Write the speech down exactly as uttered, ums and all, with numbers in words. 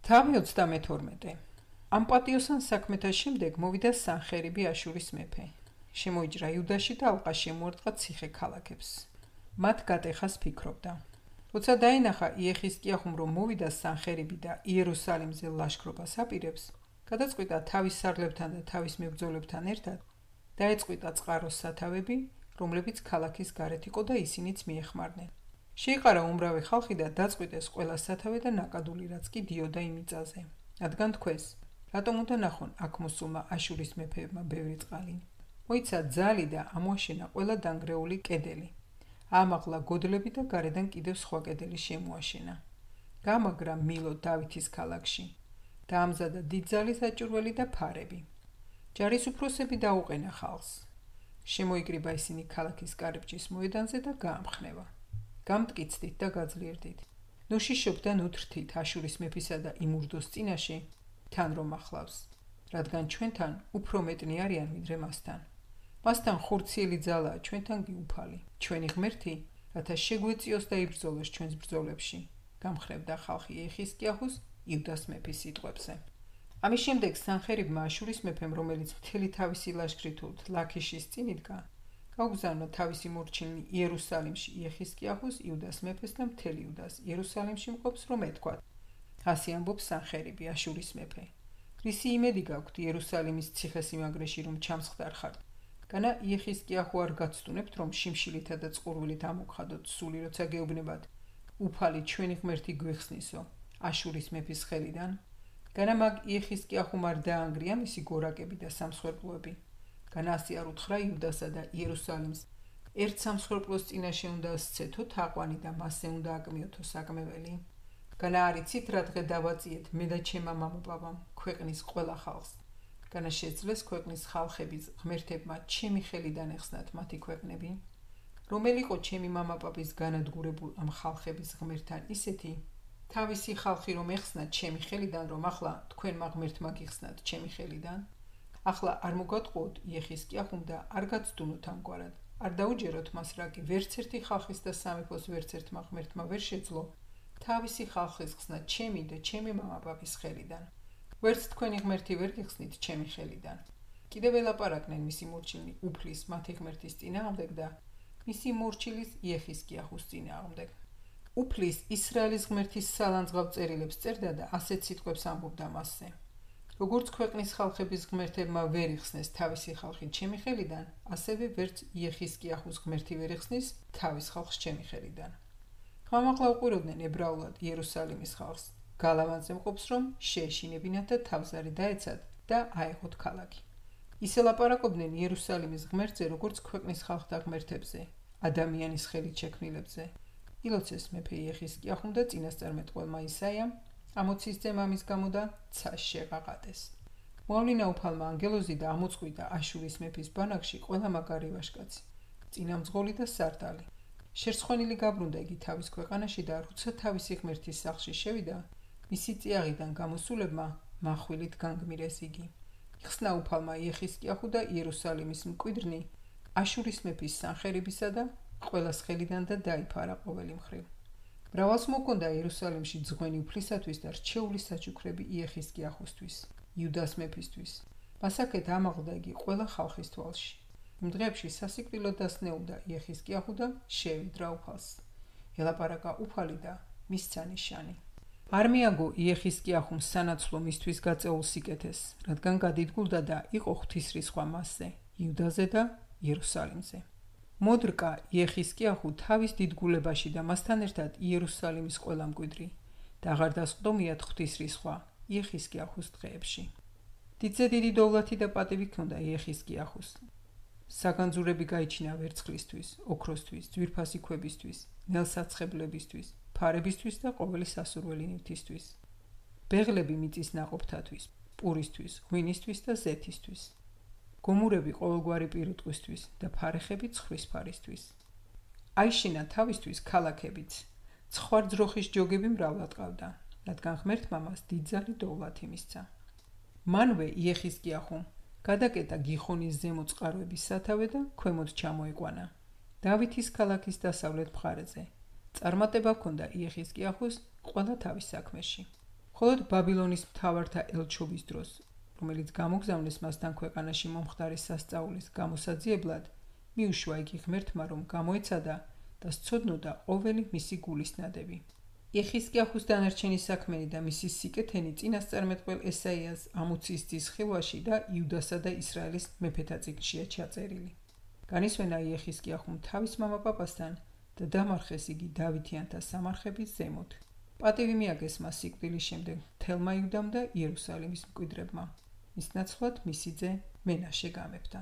თავი ოცდამეთორმეტე. ამ პატიოსან საქმეთა შემდეგ მოვიდა სანხერიბი აშურის მეფე. შემოიჭრა იუდაში და ალყა შემოარტყა ციხე ქალაქებს. მათ გატეხას ფიქრობდა. როცა დაინახა იეხისკიახუმ რომ მოვიდა სანხერიბი და იერუსალიმზე ლაშქრობას აპირებს, გადაწყვიტა თავის სარლებთან და თავის მებრძოლებთან ერთად დაეწყვიტა წყაროს სათავები, რომლებიც ქალაქის გარეთ იყო და ისინიც მიეხმარნენ. შეიყარა უმრავი ხალხი და დაწყვიტეს ყველა სათავე და ნაკადული რაც კი დიოდა იმ მიწაზე. რადგან თქვეს, რატომ უნდა ნახონ აქ მოსულმა აშურის მეფეებმა ბევრი წყალი. მოიცა ძალი და ამოაშენა ყველა დანგრეული კედელი. ამაღლა გოდლები და გარედან კიდევ სხვა კედელი შემოაშენა. გამაგრა მილო დავითის ქალაქში. დაამზადა დიდძალი საჭურველი და ფარები. ჯარის უფროსები დაუყენა ხალხს. შემოიკრიბა ისინი ქალაქის კარიბჭის მოედანზე და გაამხნევა. გამტკიცდით და გაძლიერდით. ნუშიშობდა ნუთრთით აშურის მეფისა და იმურდოს წინაშე, თან რომ ახლავს, რადგან ჩვენთან უფრო მეტნი არიან ვიდრე მასთან. მასთან ხურციელი ძალაა, ჩვენთან კი უფალი. ჩვენი ღმერთი, რათა შეგვეწიოს და იბრძოლოს ჩვენს ბრძოლებში, გამხნევდა ხალხი იეხისკიაჰუს იუდას მეფის სიტყვებზე. ამის შემდეგ სანხერიბმა აშურის მეფემ, რომელიც მთელი თავისი ლაშქრით ლაქიშის წინ იდგა, გაუგზავნა თავისი მორჩილნი იერუსალიმში იეხისკიაჰუს იუდას მეფეს და მთელი იუდას იერუსალიმში მყოფს, რომ ეთქვათ: ასი ამბობს სანხერიბი აშურის მეფე. რისი იმედი გაქვთ იერუსალიმის ციხესიმაგრეში რომ ჩამსხდარ ხართ? განა იეხისკიაჰუ არ გაცდუნებთ რომ შიმშილითა და წყურვილით ამოგხადოთ სული, როცა გეუბნებათ: უფალი ჩვენი ღმერთი გვიხსნისო აშურის მეფის ხელიდან? განა მაგ იეხისკიაჰუმ არ დაანგრია მისი გორაკები და სამსხვერპლოები. განა ასე არ უთხრა იუდასა და იერუსალიმს: ერთ სამსხვერპლოს წინაშე უნდა სცეთო თაყვანი და მასზე უნდა აკმიოთო საკმეველი. განა არ იცით რა დღე დავაწიეთ მე და ჩემმა მამაპაპამ ქვეყნის ყველა ხალხს. განა შეძლეს ქვეყნის ხალხების ღმერთებმა ჩემი ხელიდან ეხსნათ მათი ქვეყნები. რომელი იყო ჩემი მამაპაპის განადგურებულ ამ ხალხების ღმერთთან ისეთი თავისი ხალხი რომ ეხსნა ჩემი ხელიდან, რომ ახლა თქვენმა ღმერთმა გიხსნათ ჩემი ხელიდან? ახლა არ მოგატყუოთ იეხისკიაჰუმ და არ გაცდუნოთ ამგვარად. არ დაუჯეროთ მას, რა კი ვერც ერთი ხალხის და სამეფოს ვერც ერთმა ღმერთმა ვერ შეძლო თავისი ხალხის ხსნა ჩემი და ჩემი მამაპაპის ხელიდან. ვერც თქვენი ღმერთი ვერ გიხსნით ჩემი ხელიდან. კიდევ ელაპარაკნენ მისი მორჩილნი უფლის მათი ღმერთის წინააღმდეგ და მისი მორჩილის იეხისკიაჰუს წინააღმდეგ. უფლის ისრაელის ღმერთის სალანძღავ წერილებს წერდა და ასეთ სიტყვებს ამბობდა მასზე: როგორც ქვეყნის ხალხების ღმერთებმა ვერ იხსნეს თავისი ხალხი ჩემი ხელიდან, ასევე ვერც იეხისკიაჰუს ღმერთი ვერ იხსნის თავის ხალხს ჩემი ხელიდან. ხმამაღლა უყურებდნენ ებრაულად იერუსალიმის ხალხს, გალავანზე მყოფს რომ შეეშინებინათ და თავზარი დაეცათ და აეღოთ ქალაქი. ისე ლაპარაკობდნენ იერუსალიმის ღმერთზე, როგორც ქვეყნის ხალხთა ღმერთებზე, ადამიანის ხელით შექმნილებზე. ილოცეს მეფე იეხისკიაჰუმ და წინასწარმეტყველმა ისაიამ ამოცისძე მამის გამო და ცას შეღაღადეს. მოავლინა უფალმა ანგელოზი და ამოწყვიტა აშურის მეფის ბანაკში ყველა მაგარი ვაჟკაცი, წინამძღოლი და სარდალი. შერცხვენილი გაბრუნდა იგი თავის ქვეყანაში და როცა თავისი ღმერთის სახლში შევიდა, მისი წიაღიდან გამოსულებმა მახვილით განგმირეს იგი. იხსნა უფალმა იეხისკიაჰუ და იერუსალიმის მკვიდრნი აშურის მეფის სანხერიბისა და ყველას ხელიდან და დაიფარა ყოველი მხრივ. მრავალს მოკონდა იერუსალიმში ძღვენი უფლისათვის და რჩეული საჩუქრები იეხისკიაჰუსთვის, იუდას მეფისთვის. მასაკეთ ამაღლდა იგი ყველა ხალხის თვალში. იმ დღეებში სასიკვდილო დასნეულდა იეხისკიაჰუ და შეევედრა უფალს. ელაპარაკა უფალი და მისცა ნიშანი. არ მიაგო იეხისკიაჰუმ სანაცვლო მისთვის გაწეულ სიკეთეს, რადგან გადიდგულდა და იყო ღვთისრისხვა მასზე, იუდაზე და იერუსალიმზე. მოდრკა იეხისკიაჰუ თავის დიდგულებაში და მასთან ერთად იერუსალიმის ყველა მკვიდრი და აღარ დასყდომიათ ღვთისრისხვა იეხისკიაჰუს დღეებში. დიდზე დიდი დოვლათი და პატივი ჰქონდა იეხისკიაჰუს. საგანძურები გაიჩინა ვერცხლისთვის, ოქროსთვის, ძვირფასი ქვებისთვის, ნელსაცხებლებისთვის, ფარებისთვის და ყოველი სასურველი ნივთისთვის. ბეღლები მიწის ნაყოფთათვის, პურისთვის, ღვინისთვის და ზეთისთვის. გომურები ყოველგვარი პირუტყვისთვის და ფარეხები ცხრის ფარისთვის. აიშინა თავისთვის ქალაქებიც, ცხვარ ძროხის ჯოგები მრავლად ყავდა, რადგან ღმერთმა მას დიდძალი დოვლათი მისცა. მანვე იეხისკიაჰუმ გადაკეტა გიხონის ზემო წყაროების სათავე და ქვემოთ ჩამოეყვანა დავითის ქალაქის დასავლეთ მხარეზე. წარმატება ჰქონდა იეხისკიაჰუს ყველა თავის საქმეში. მხოლოდ ბაბილონის მთავართა ელჩობის დროს, რომელიც გამოგზავნეს მასთან ქვეყანაში მომხდარი სასწაულის გამოსაძიებლად, მიუშვა იგი ღმერთმა, რომ გამოეცადა და სცოდნოდა ყოველი მისი გულისნადები. იეხისკიაჰუს დანარჩენი საქმენი და მისი სიკეთენი წინასწარმეტყველ ესაიას ამოცის ძის ხილვაში და იუდასა და ისრაელის მეფეთა წიგნშია ჩაწერილი. განისვენა იეხისკიაჰუმ თავის მამა პაპასთან და დამარხეს იგი დავითიანთა სამარხების ზემოთ. პატივი მიაგეს მას სიკვდილის შემდეგ მთელმა იუდამ და იერუსალიმის მკვიდრებმა. მის ნაცვლად მისი ძე მენაშე გამეფდა.